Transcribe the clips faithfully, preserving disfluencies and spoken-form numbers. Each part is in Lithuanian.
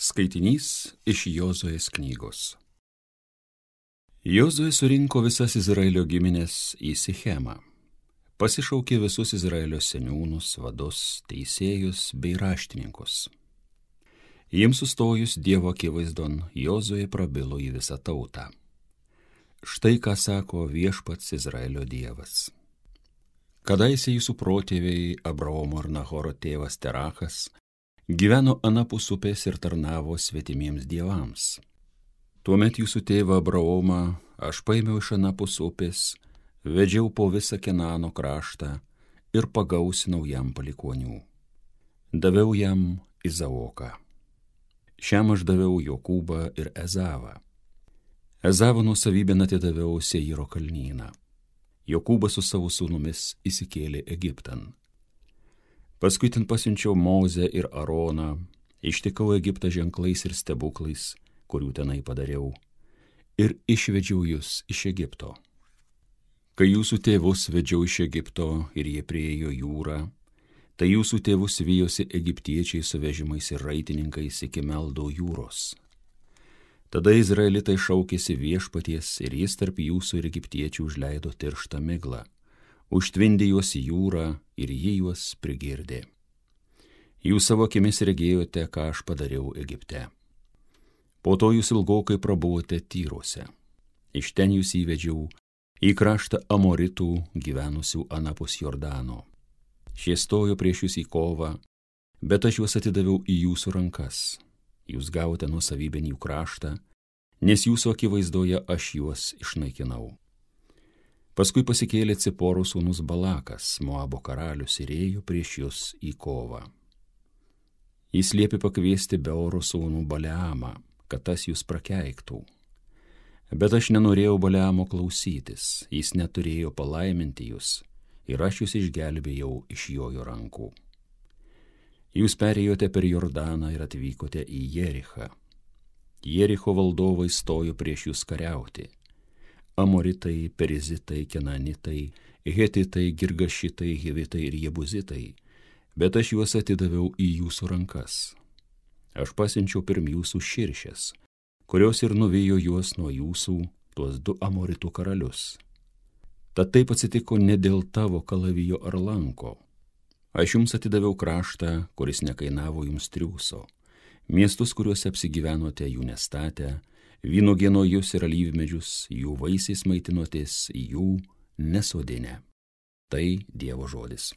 Skaitinys iš Jozuės knygos. Jozuė surinko visas Izraelio giminės į Sichemą. Pasišaukė visus Izraelio seniūnus, vadus, teisėjus bei raštininkus. Jiems sustojus Dievo akivaizdon, Jozuė prabilo į visą tautą. Štai ką sako viešpats Izraelio Dievas. Kadaise jūsų protėviai Abraomo ir Nahoro tėvas Terachas gyveno anapus upės ir tarnavo svetimiems dievams. Tuomet jūsų tėvą Abraomą aš paėmiau iš anapus upės, vedžiau po visą Kenano kraštą ir pagausinau jam palikuonių. Daviau jam Izaoką. Šiam aš daviau Jokūbą ir Ezavą. Ezavo nuosavybėn atidaviau Seiro kalnyną. Jokūbas su savo sūnumis įsikėlė Egiptan. Paskui ten pasiunčiau Mozę ir Aroną, ištikau Egiptą ženklais ir stebuklais, kurių tenai padariau, ir išvedžiau jūs iš Egipto. Kai jūsų tėvus vedžiau iš Egipto ir jie priėjo jūrą, tai jūsų tėvus vijosi egiptiečiai su vežimais ir raitininkais iki Meldo jūros. Tada izraelitai šaukėsi viešpaties ir jis tarp jūsų ir egiptiečių užleido tirštą miglą. Užtvindė juos į jūrą ir jį juos prigirdė. Jūs savo akimis regėjote, ką aš padariau Egipte. Po to jūs ilgokai prabuvote Tyruose. Iš ten jūs įvedžiau į kraštą Amoritų gyvenusių anapus Jordano. Šie stojo prieš jūs į kovą, bet aš juos atidaviau į jūsų rankas. Jūs gavote nuosavybėn jų kraštą, nes jūsų akivaizdoje aš juos išnaikinau. Paskui pasikėlė Ciporų sūnus Balakas, Moabo karalius, ir ėjo prieš jūs į kovą. Jis liepė pakviesti Beoro sūnų Baleamą, kad tas jūs prakeiktų. Bet aš nenorėjau Baleamo klausytis, jis neturėjo palaiminti jūs, ir aš jūs išgelbėjau iš jojo rankų. Jūs perėjote per Jordaną ir atvykote į Jerichą. Jericho valdovai stojo prieš jūs kariauti. Amoritai, Perizitai, Kenanitai, Hetitai, Girgašitai, Hivitai ir Jebuzitai, bet aš juos atidaviau į jūsų rankas. Aš pasiunčiau pirm jūsų širšės, kurios ir nuvijo juos nuo jūsų, tuos du Amoritų karalius. Tad taip atsitiko ne dėl tavo kalavijo ar lanko. Aš jums atidaviau kraštą, kuris nekainavo jums triūso, miestus, kuriuose apsigyvenote, jų nestatę, vynuogienojus ir alyvmedžius, jų vaisiais maitinotės, jų nesodinę. Tai Dievo žodis.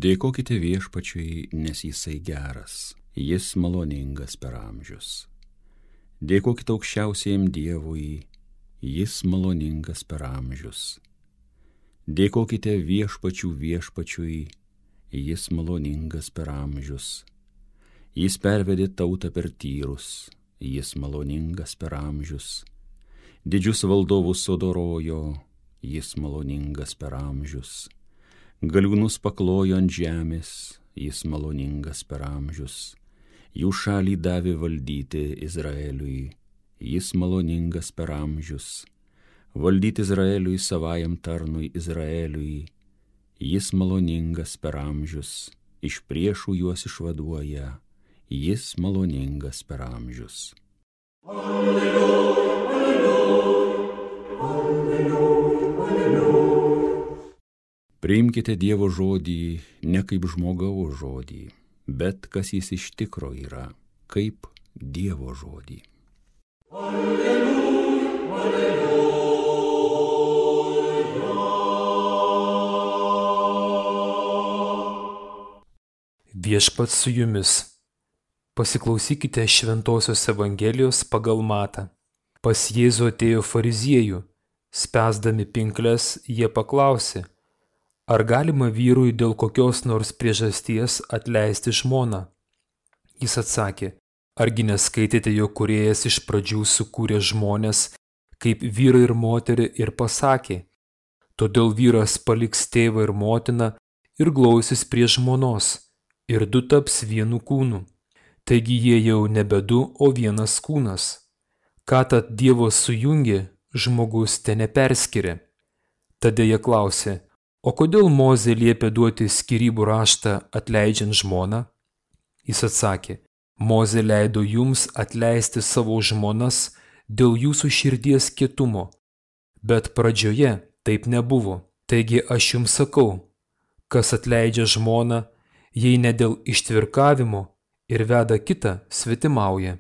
Dėkokite viešpačiui, nes jisai geras, jis maloningas per amžius. Dėkokite aukščiausiajam Dievui, jis maloningas per amžius. Dėkokite viešpačių viešpačiui, jis maloningas per amžius. Jis pervedė tautą per Tyrus, jis maloningas per amžius. Didžius valdovus sudorojo, jis maloningas per amžius. Galiūnus paklojo ant žemės, jis maloningas per amžius. Jų šalį davė valdyti Izraeliui, jis maloningas per amžius. Valdyti Izraeliui savajam tarnui Izraeliui, jis maloningas per amžius. Iš priešų juos išvaduoja, jis maloningas per amžius. Alleluja, alleluja, alleluja, alleluja. Priimkite Dievo žodį ne kaip žmogaus žodį, bet kas jis iš tikro yra, kaip Dievo žodį. Alleluja, alleluja. Viešpats su jumis. Pasiklausykite Šventosios Evangelijos pagal Matą. Pas Jėzų atėjo fariziejų, spęsdami pinkles, jie paklausė: ar galima vyrui dėl kokios nors priežasties atleisti žmoną? Jis atsakė: argi neskaitėte, jog Kūrėjas iš pradžių sukūrė žmones kaip vyrą ir moterį ir pasakė: Todėl vyras paliks tėvą ir motiną ir glausis prie žmonos, ir du taps vienu kūnu. Taigi jie jau nebe du, o vienas kūnas. Ką tad Dievo sujungė, žmogus te neperskiria. Tada jie klausė, o kodėl Mozė liepė duoti skyrybų raštą atleidžiant žmoną? Jis atsakė, Mozė leido jums atleisti savo žmonas dėl jūsų širdies kietumo, bet pradžioje taip nebuvo. Taigi aš jums sakau, kas atleidžia žmoną, jei ne dėl ištvirkavimo ir veda kitą, svetimauja.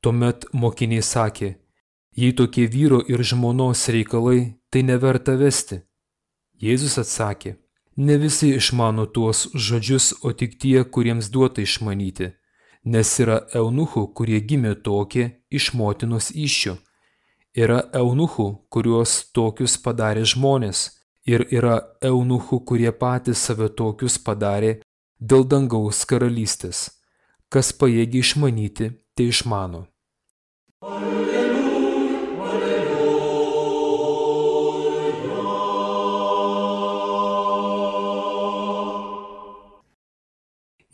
Tuomet mokiniai sakė, jei tokie vyro ir žmonos reikalai, tai neverta vesti. Jėzus atsakė, ne visi išmano tuos žodžius, o tik tie, kuriems duota išmanyti, nes yra eunuchų, kurie gimė tokie iš motinos įsčių. Yra eunuchų, kuriuos tokius padarė žmonės, ir yra eunuchų, kurie patys save tokius padarė dėl dangaus karalystės. Kas pajėgia išmanyti, tai išmano.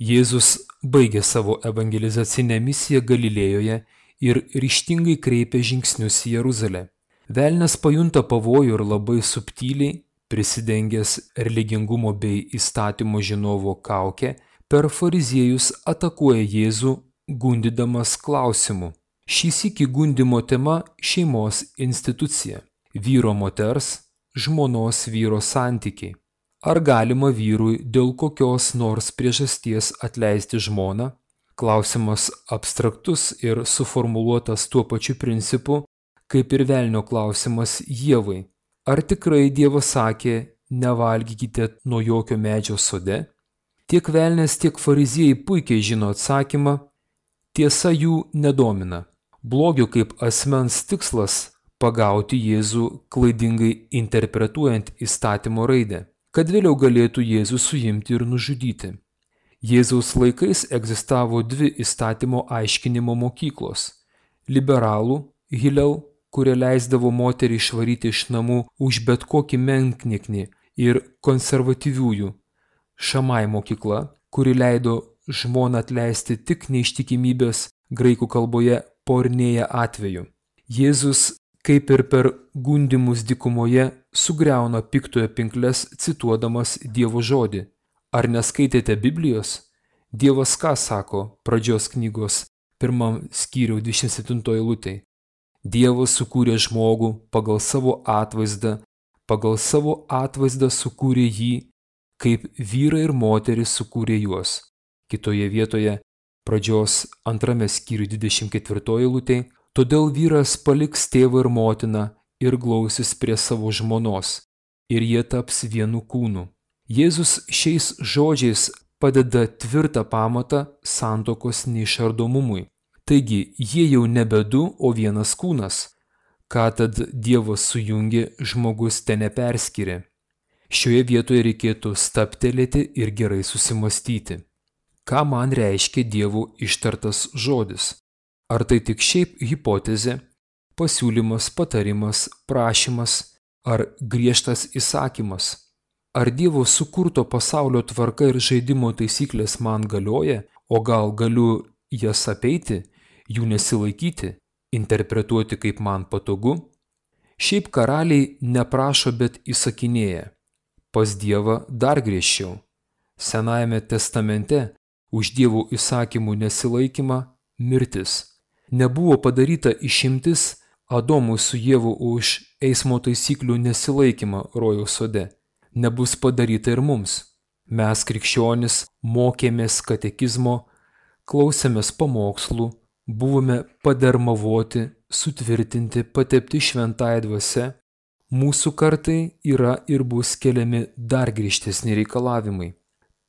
Jėzus baigė savo evangelizacinę misiją Galilėjoje ir ryžtingai kreipė žingsnius į Jeruzalę. Velnias pajunta pavojų ir labai subtiliai, prisidengęs religingumo bei įstatymo žinovo kaukę, per fariziejus atakuoja Jėzų, gundydamas klausimu. Šį sykį gundymo tema – šeimos institucija, vyro moters, žmonos vyro santykiai. Ar galima vyrui dėl kokios nors priežasties atleisti žmoną? Klausimas abstraktus ir suformuluotas tuo pačiu principu, kaip ir velnio klausimas Ievai. Ar tikrai Dievas sakė, nevalgykite nuo jokio medžio sode? Tiek velnias, tiek fariziejai puikiai žino atsakymą, tiesa jų nedomina. Blogio kaip asmens tikslas – pagauti Jėzų klaidingai interpretuojant įstatymo raidę, kad vėliau galėtų Jėzų suimti ir nužudyti. Jėzaus laikais egzistavo dvi įstatymo aiškinimo mokyklos – liberalų, Hillel, kurie leisdavo moterį išvaryti iš namų už bet kokį menknieknį, ir konservatyviųjų – Šamai mokykla, kuri leido žmoną atleisti tik neištikimybės graikų kalboje pornėja atveju. Jėzus, kaip ir per gundymus dykumoje, sugriauna piktojo pinkles cituodamas Dievo žodį. Ar neskaitėte Biblijos? Dievas ką sako pradžios knygos pirmam skyriui dvidešimt septintoji eilutė? Dievas sukūrė žmogų pagal savo atvaizdą, pagal savo atvaizdą sukūrė jį, kaip vyrai ir moteris sukūrė juos. Kitoje vietoje pradžios antrame skyriui dvidešimt ketvirtoji eilutė, todėl vyras paliks tėvą ir motiną ir glausis prie savo žmonos, ir jie taps vienu kūnu. Jėzus šiais žodžiais padeda tvirtą pamatą santuokos neišardomumui. Taigi, jie jau nebe du, o vienas kūnas. Ką tad Dievas sujungė, žmogus te neperskiria. Šioje vietoje reikėtų stabtelėti ir gerai susimastyti. Ką man reiškia Dievo ištartas žodis? Ar tai tik šiaip hipotezė, pasiūlymas, patarimas, prašymas ar griežtas įsakymas? Ar Dievo sukurto pasaulio tvarka ir žaidimo taisyklės man galioja, o gal galiu jas apeiti, jų nesilaikyti, interpretuoti kaip man patogu? Šiaip karaliai neprašo, bet įsakinėja. Pas Dievą dar griežčiau. Senajame testamente už Dievo įsakymų nesilaikymą mirtis. Nebuvo padaryta išimtis Adomui su Dievu už eismo taisyklių nesilaikymą rojaus sode. Nebus padaryta ir mums. Mes, krikščionys, mokėmės katekizmo, klausėmės pamokslų, buvome padermavoti, sutvirtinti, patepti šventąja dvasia. Mūsų kartai yra ir bus keliami dar griežtesni reikalavimai.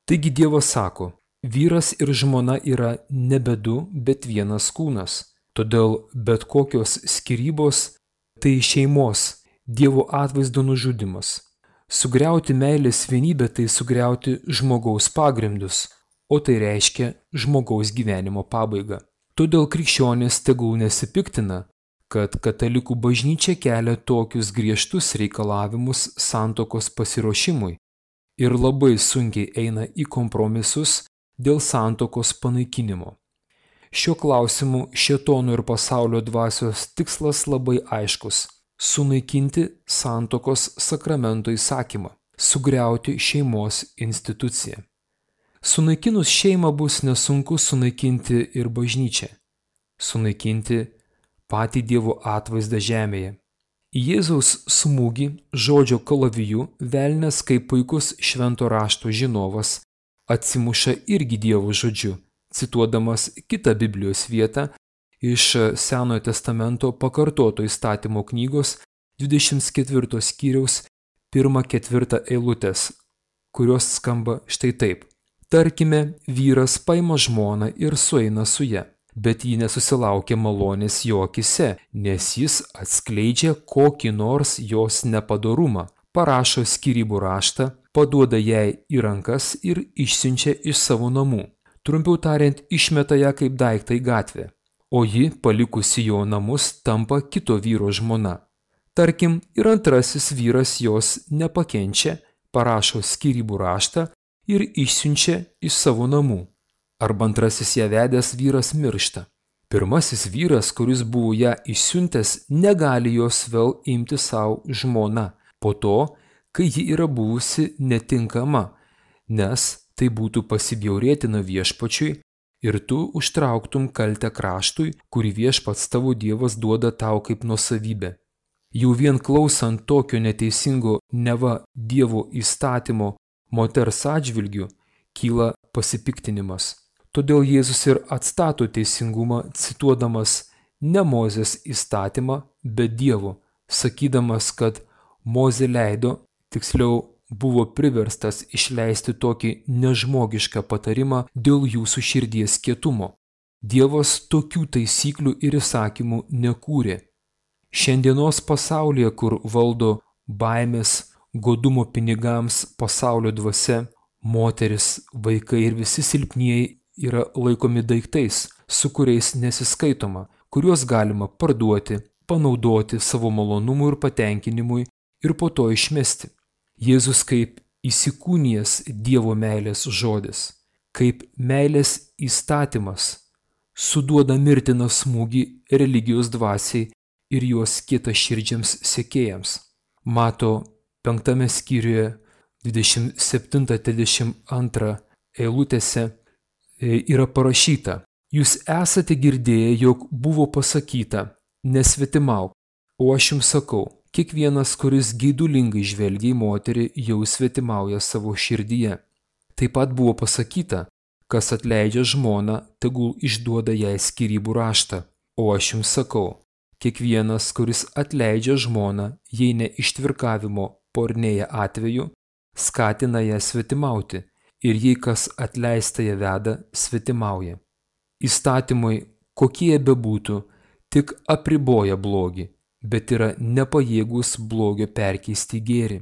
Taigi Dievas sako, vyras ir žmona yra nebe du, bet vienas kūnas. Todėl bet kokios skyrybos tai šeimos, Dievo atvaizdo nužudymas. Sugriauti meilės vienybę tai sugriauti žmogaus pagrindus, o tai reiškia žmogaus gyvenimo pabaigą. Todėl krikščionys tegul nesipiktina, kad katalikų bažnyčia kelia tokius griežtus reikalavimus santuokos pasiruošimui ir labai sunkiai eina į kompromisus dėl santuokos panaikinimo. Šiuo klausimu šėtono ir pasaulio dvasios tikslas labai aiškus – sunaikinti santuokos sakramento įsakymą, sugriauti šeimos instituciją. Sunaikinus šeimą bus nesunku sunaikinti ir bažnyčią, sunaikinti patį Dievo atvaizdą žemėje. Į Jėzaus smūgį žodžio kalaviju velnias kaip puikus švento rašto žinovas atsimuša irgi Dievo žodžiu, cituodamas kitą Biblijos vietą iš Senojo testamento pakartoto įstatymo knygos dvidešimt ketvirto skyriaus pirmą ketvirtą eilutės, kurios skamba štai taip. Tarkime, vyras paima žmoną ir sueina su ja, bet ji nesusilaukia malonės jo akyse, nes jis atskleidžia kokį nors jos nepadorumą, parašo skyrybų raštą, paduoda jai į rankas ir išsiunčia iš savo namų. Trumpiau tariant, išmeta ją kaip daiktą į gatvę, o ji, palikusi jo namus, tampa kito vyro žmona. Tarkim, ir antrasis vyras jos nepakenčia, parašo skyrybų raštą ir išsiunčia iš savo namų. Arba antrasis ją vedęs vyras miršta. Pirmasis vyras, kuris buvo ją išsiuntęs, negali jos vėl imti savo žmona, po to, kai ji yra buvusi netinkama, nes tai būtų pasibjaurėtina viešpačiui ir tu užtrauktum kaltę kraštui, kurį viešpats tavo Dievas duoda tau kaip nuosavybę. Jau vien klausant tokio neteisingo neva Dievo įstatymo moters atžvilgiu kyla pasipiktinimas. Todėl Jėzus ir atstato teisingumą, cituodamas ne Mozės įstatymą, bet Dievo, sakydamas, kad Mozė leido, tiksliau buvo priverstas išleisti tokį nežmogišką patarimą dėl jūsų širdies kietumo. Dievas tokių taisyklių ir įsakymų nekūrė. Šiandienos pasaulyje, kur valdo baimės, godumo pinigams pasaulio dvasia, moteris, vaikai ir visi silpnieji yra laikomi daiktais, su kuriais nesiskaitoma, kuriuos galima parduoti, panaudoti savo malonumui ir patenkinimui ir po to išmesti. Jėzus kaip įsikūnijęs Dievo meilės žodis, kaip meilės įstatymas, suduoda mirtiną smūgį religijos dvasiai ir jos kietaširdžiams sekėjams. Mato penktame skyriuje dvidešimt septinta trisdešimt antra eilutėse yra parašyta: Jūs esate girdėję, jog buvo pasakyta, nesvetimauk, o aš jums sakau, kiekvienas, kuris geidulingai žvelgia į moterį, jau svetimauja savo širdyje. Taip pat buvo pasakyta, kas atleidžia žmoną, tegul išduoda jai skyrybų raštą. O aš jums sakau, kiekvienas, kuris atleidžia žmoną, jei ne ištvirkavimo pornėje atveju, skatina ją svetimauti, ir jei kas atleista ją veda, svetimauja. Įstatymai, kokie jie bebūtų, tik apriboja blogį, bet yra nepajėgus blogio perkeisti į gėrį.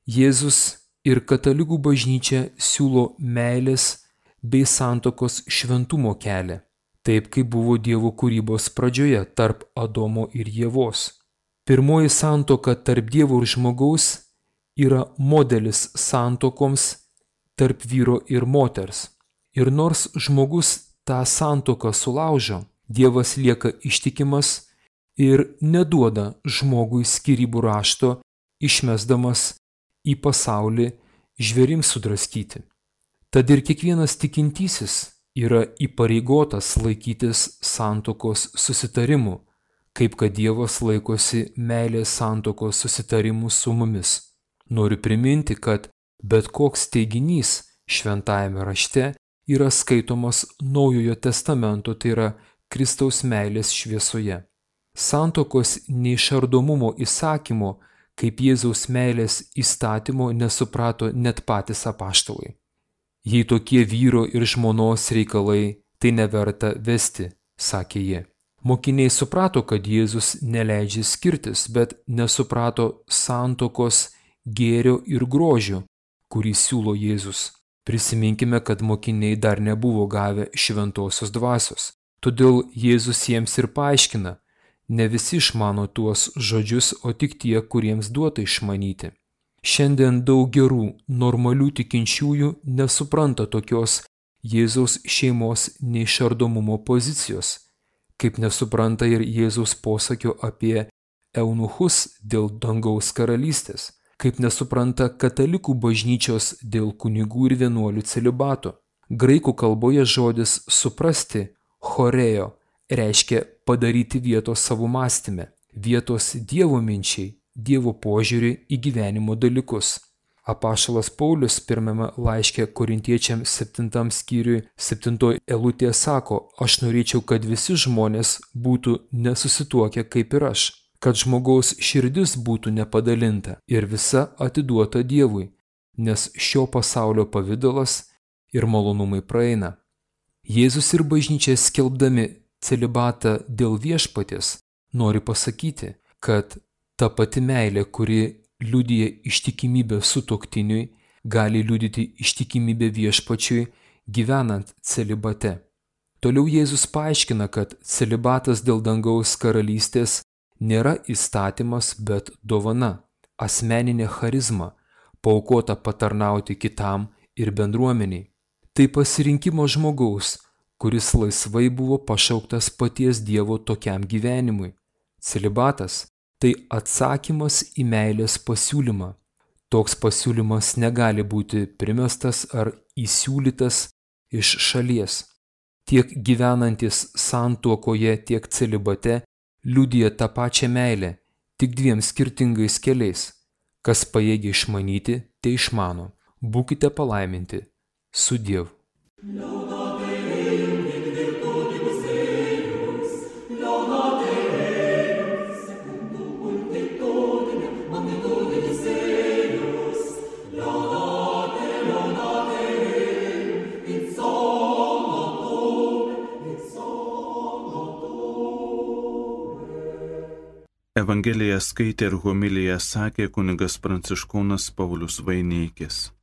Jėzus ir katalikų bažnyčia siūlo meilės bei santuokos šventumo kelią, taip kaip buvo Dievo kūrybos pradžioje tarp Adomo ir Ievos. Pirmoji santuoka tarp Dievo ir žmogaus yra modelis santuokoms tarp vyro ir moters. Ir nors žmogus tą santuoką sulaužo, Dievas lieka ištikimas ir neduoda žmogui skyrybų rašto, išmesdamas į pasaulį žvėrims sudraskyti. Tad ir kiekvienas tikintysis yra įpareigotas laikytis santuokos susitarimų, kaip kad Dievas laikosi meilės santuokos susitarimų su mumis. Noriu priminti, kad bet koks teiginys šventajame rašte yra skaitomas Naujojo testamento, tai yra Kristaus meilės šviesoje. Santuokos neišardomumo įsakymo, kaip Jėzaus meilės įstatymo, nesuprato net patys apaštalai. Jei tokie vyro ir žmonos reikalai, tai neverta vesti, sakė jie. Mokiniai suprato, kad Jėzus neleidžia skirtis, bet nesuprato santuokos gėrio ir grožio, kurį siūlo Jėzus. Prisiminkime, kad mokiniai dar nebuvo gavę šventosios dvasios. Todėl Jėzus jiems ir paaiškina: Ne visi išmano tuos žodžius, o tik tie, kuriems duota išmanyti. Šiandien daug gerų, normalių tikinčiųjų nesupranta tokios Jėzaus šeimos neišardomumo pozicijos, kaip nesupranta ir Jėzaus posakio apie eunuchus dėl dangaus karalystės, kaip nesupranta katalikų bažnyčios dėl kunigų ir vienuolių celibato. Graikų kalboje žodis suprasti, chorėjo, reiškia padaryti vietos savo mąstyme, vietos Dievo minčiai, Dievo požiūrį į gyvenimo dalykus. Apaštalas Paulius pirmame laiške Korintiečiams septintam skyriui septintoj eilutėje sako, aš norėčiau, kad visi žmonės būtų nesusituokę kaip ir aš, kad žmogaus širdis būtų nepadalinta ir visa atiduota Dievui, nes šio pasaulio pavidalas ir malonumai praeina. Jėzus ir bažnyčia skelbdami celibatą dėl viešpaties nori pasakyti, kad ta pati meilė, kuri liudija ištikimybę sutuoktiniui, gali liudyti ištikimybę viešpačiui gyvenant celibate. Toliau Jėzus paaiškina, kad celibatas dėl dangaus karalystės nėra įstatymas, bet dovana, asmeninė charizma, paaukota patarnauti kitam ir bendruomeniai. Tai pasirinkimo žmogaus, kuris laisvai buvo pašauktas paties Dievo tokiam gyvenimui. Celibatas – tai atsakymas į meilės pasiūlymą. Toks pasiūlymas negali būti primestas ar įsiūlytas iš šalies. Tiek gyvenantis santuokoje, tiek celibate liudija tą pačią meilę, tik dviem skirtingais keliais. Kas pajėgia išmanyti, tai išmano. Būkite palaiminti. Sudiev. Evangeliją skaitė ir homiliją sakė kunigas Pranciškonas Paulius Vaineikis.